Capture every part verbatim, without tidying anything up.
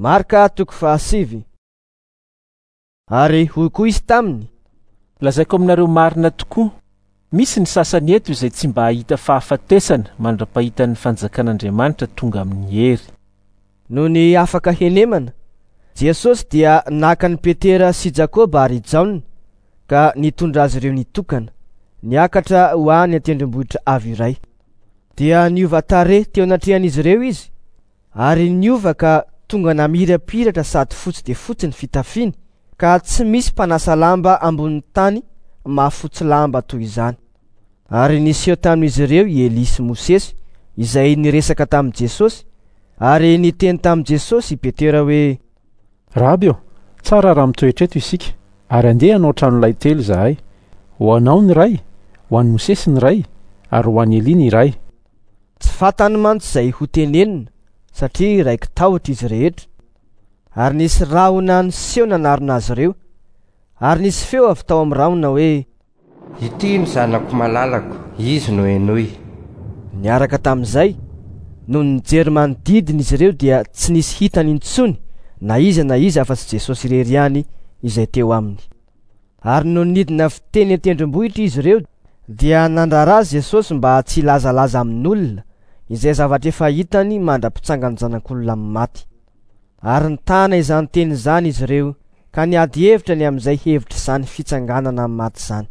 Marka toko fahasivy. Ary hoy koa izy taminy: Lazaiko aminareo marina tokoa, misy ny sasany eto izay tsy mba hahita fahafatesana mandra-pahitan'ny fanjakan'Andriamanitra tonga amin'ny hery. Nony afaka henemana, Jesosy dia naka an'i Petera sy Jakoba ary Jaona ka nitondra azy ireo nitokana, niakatra ho any an-tendrombohitra avo iray. Dia niova tarehy teo anatrehan'izy ireo izy, ary niova ka tonga namirapiratra sady fotsy dia fotsy ny fitafiny, ka tsy misy mpanasa lamba ambonin'ny tany mahafotsy lamba toy izany. Ary niseho tamin'izy ireo i Elia sy Mosesy izay niresaka tamin'i Jesosy, ary niteny tamin'i Jesosy i Petera hoe: Raby ô, tsara raha mitoetra eto isika, ary andeha hanao tranolay telo izahay. Ho anao ny iray, ho an'i Mosesy ny iray, ary ho an'i Elia ny iray. Tsy fantany mantsy izay ho tenenina, satria raiki-tahotra izy rehetra. Ary nisy rahona niseho nanarona azy ireo, ary nisy feo avy tao amin'ny rahona hoe: Ity ny zanako malalako, izy no henoy. Niaraka tamin'izay, nony nijery manodidina izy ireo dia tsy nisy hitany intsony na iza na iza afa-tsy Jesosy irery ihany izay teo aminy. Ary nony nidina avy teny an-tendrombohitra izy ireo dia nandrara azy Jesosy mba tsy hilazalaza amin'olona izay zavatra efa hitany mandra-pitsangan'ny zanak'olona amin'ny maty. Ary nitana izany teny izany izy ireo ka niady hevitra ny amin'izay hevitra izany fitsanganana amin'ny maty izany.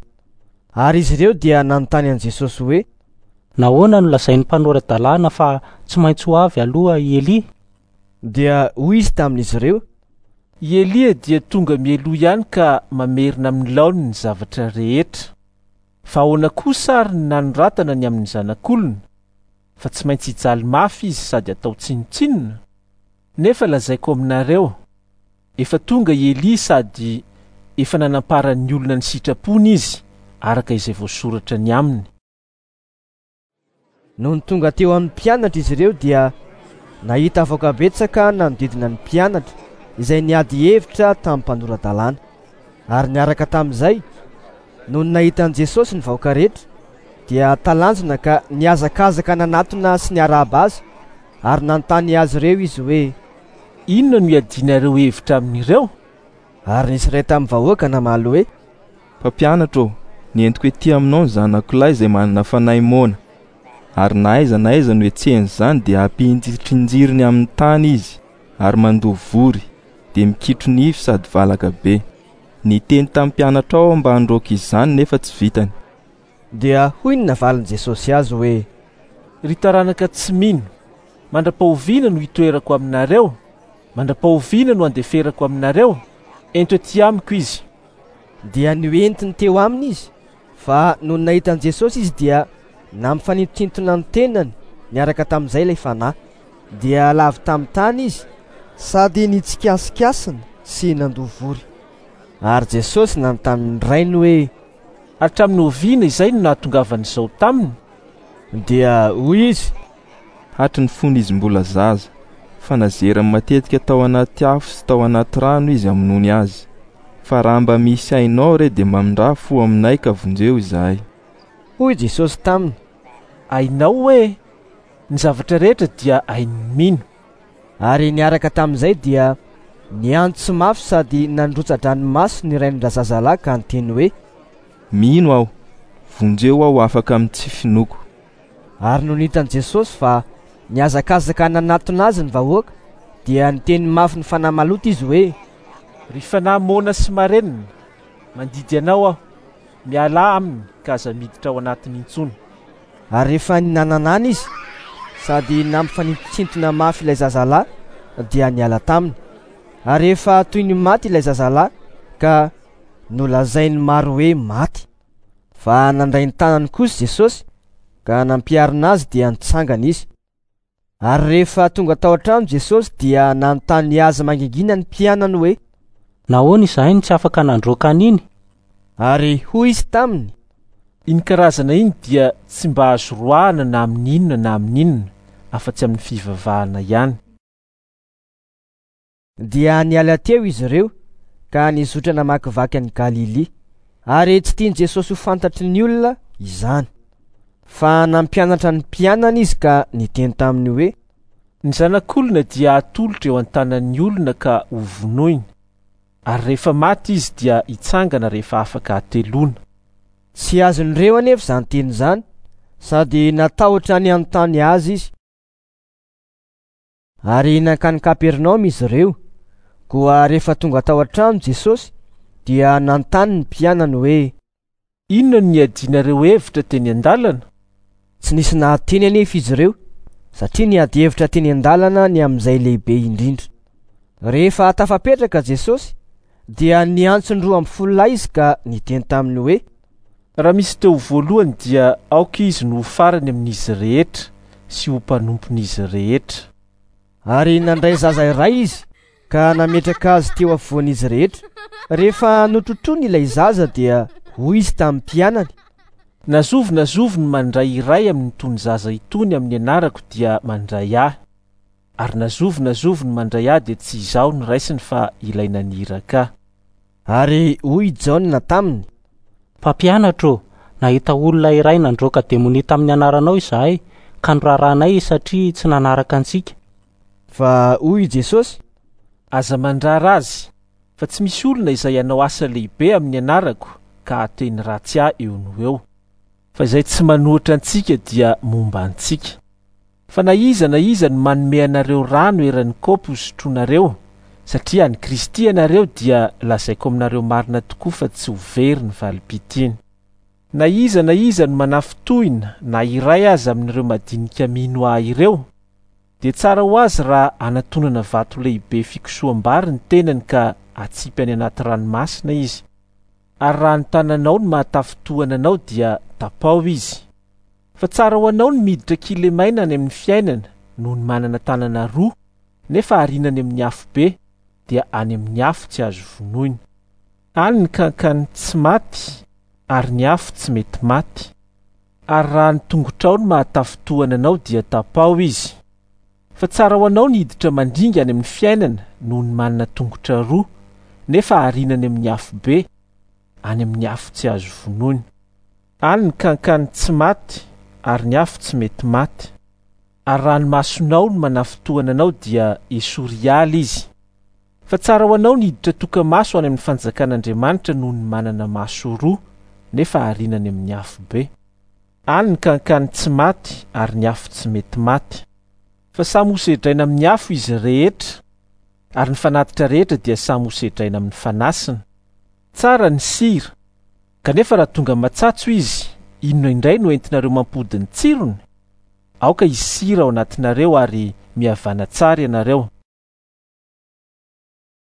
Ary izy ireo dia nanontany an'i Jesosy hoe: Nahoana no lazain'ny mpanora-dalàna fa tsy maintsy ho avy aloha i Elia? Dia hoy izy tamin'izy ireo: I Elia dia tonga mialoha ihany ka mamerina amin'ny laoniny ny zavatra rehetra. Fa ahoana kosa ary ny nanoratana ny amin'ny zanak'olona, fa tsy maintsy hijaly mafy izy sady atao tsinontsinona? Nefa lazaiko aminareo, efa tonga i Elia sady efa nanamparan'ny olona ny sitrapony izy, araka izay voasoratra ny aminy. Nony tonga teo amin'ny mpianatra izy ireo dia nahita vahoaka betsaka nanodidina ny mpianatra izay niady hevitra tamin'ny mpanora-dalàna. Ary niaraka tamin'izay, nony nahita an'i Jesosy ny vahoaka rehetra, dia talanjona ka nihazakazaka nanatona sy niarahaba azy, ary nanontany azy ireo izy hoe: Inona no iadianareo hevitra amin'ireo? Ary nisy iray tamin'ny vahoaka namaly hoe: Mpampianatra ô, nentiko ety aminao ny zanako lahy izay manana fanahy moana, ary na aiza na aiza no hetsehan'izany dia ampihintritrinjiriny amin'ny tany izy, ary mandoa vory, dia mikitro nify sady valaka be. Niteny tamin'ny mpianatra ao mba handroaka izany nefa tsy vitany. Dia hoy ny navalin'i Jesosy azy hoe: Ry taranaka tsy mino, mandra-pahoviana no hitoerako aminareo? Mandra-pahoviana no handeferako aminareo? Ento ety amiko izy. Dia noentiny teo aminy izy, fa nony nahita an'i Jesosy izy dia nampifanintontsintona ny tenany niaraka tamin'izay ilay fanahy. Dia lavo tamin'ny tany izy sady nitsikasikasikasina sy nandoa vory. Ary Jesosy nanontany ny rainy hoe: Hatramin'ny oviana izay no nahatongavan'izao taminy? Dia hoy izy: Hatry ny fony izy mbola zaza, fa nazerany matetika tao anaty afo sy tao anaty rano izy hamonoany azy. Fa raha mba misy hainao re dia mamindrà fo aminay ka vonjeo izahay. Hoy Jesosy taminy: Hainao hoe ny zavatra rehetra dia hain'ny mino. Ary niaraka tamin'izay dia niantso mafy sady nandrotsa-dranomaso ny rain-drazazalahy ka niteny hoe: Mino aho, vonjeo aho afaka amin'ny tsy finoako. Ary nony hitan'i Jesosy fa nihazakazaka nanatona azy ny vahoaka, dia niteny mafy ny fanahy maloto izy hoe: Ry fanahy moana sy marenina, mandidy anao aho, mialà aminy ka aza miditra ao anatiny intsony. Ary rehefa ninananana izy sady nampifanintontsintona mafy ilay zazalahy, dia niala taminy. Ary efa toy ny maty ilay zazalahy ka nolazain'ny maro hoe maty. Fa nandray ny tanany kosa Jesosy ka nampiarina azy dia nitsangana izy. Ary rehefa tonga tao an-trano Jesosy dia nanontany azy mangingina ny mpianany hoe: Nahoana izahay no tsy afaka nandroaka an'iny? Ary hoy izy taminy: Iny karazana iny dia tsy mba azo roahana na amin'inona na amin'inona, afa-tsy amin'ny fivavahana ihany. Dia niala teo izy ireo ka nizotra namakivaky an'i Galilia, ary tsy tian'i Jesosy ho fantatry ny olona izany. Fa nampianatra ny mpianany izy ka niteny taminy hoe: Ny zanak'olona dia atolotra eo an-tanan'ny olona ka hovonoina, ary rehefa maty izy dia hitsangana rehefa afaka hateloana. Tsy azon'ireo anefa izany teny izany, sady natahotra ny hanontany azy izy. Ary nankany Kapernaomy izy ireo. Koa rehefa tonga tao an-trano Jesosy dia nanontany ny mpianany hoe: Inona no niadianareo hevitra teny an-dalana? Tsy nisy nahateny anefa izy ireo, satria niady hevitra teny an-dalana ny amin'izay lehibe indrindra. Rehefa tafapetraka Jesosy dia niantso ny roa ambin'ny folo lahy izy ka niteny taminy hoe: Raha misy teo voalohany dia aoka izy no ho farany amin'izy rehetra sy ho mpanompon'izy rehetra. Ary nandray zaza iray izy ka nametraka azy teo afovoan'izy rehetra. Rehefa notrotroiny ilay zaza dia hoy izy tamin'ny mpianany: Na zovy na zovy no mandray iray amin'itony zaza itony amin'ny anarako dia mandray ahy, ary na zovy na zovy no mandray ahy dia tsy izaho no raisiny fa ilay naniraka ahy. Ary hoy Jaona taminy: Mpampianatra ô, nahita olona iray nandroaka demonia tamin'ny anaranao izahay, ka norarahanay izy satria tsy nanaraka antsika. Fa hoy Jesosy: Aza mandrara azy, fa tsy misy olona izay hanao asa lehibe amin'ny anarako ka hateny ratsy ahy eo no eo. Fa izay tsy manohitra antsika dia momba antsika. Fa na iza na iza no manome anareo rano eran'ny kaopy hosotroinareo, satria an'i Kristy ianareo, dia lazaiko aminareo marina tokoa fa tsy ho very ny valim-pitiny. Na iza na iza no manafintohina na iray aza amin'ireo madinika mino ahy ireo, dia tsara ho azy raha anatonana vato lehibe fikosoham-bary ny tenany ka atsipy any anaty ranomasina izy. Ary raha ny tananao no mahatafintohana anao dia tapao izy. Fa tsara ho anao ny miditra kilemaina any amin'ny fiainana noho ny manana tanana roa, nefa ariana any amin'ny afo be, dia any amin'ny afo tsy azo vonoina. Any ny kankany tsy maty, ary ny afo tsy mety maty. Ary raha ny tongotrao no mahatafintohana anao dia tapao izy. Fa tsara ho anao ny hiditra mandringa any amin'ny fiainana noho ny manana tongotra roa, nefa ariana any amin'ny afo be, any amin'ny afo tsy azo vonoina. Any ny kankany tsy maty, ary ny afo tsy mety maty. Ary raha ny masonao no manafintohana anao dia esory hiala izy. Fa tsara ho anao ny hiditra toka-maso any amin'ny fanjakan'Andriamanitra noho ny manana maso roa, nefa ariana any amin'ny afo be. Any ny kankany tsy maty, ary ny afo tsy mety maty. Fa samy hosedraina amin'ny afo izy rehetra, ary ny fanatitra rehetra dia samy hosedraina amin'ny fanasina. Tsara ny sira, kanefa raha tonga matsatso izy, inona indray no entinareo mampody ny tsirony? Aoka hisy sira ao anatinareo ary mihavana tsara ianareo.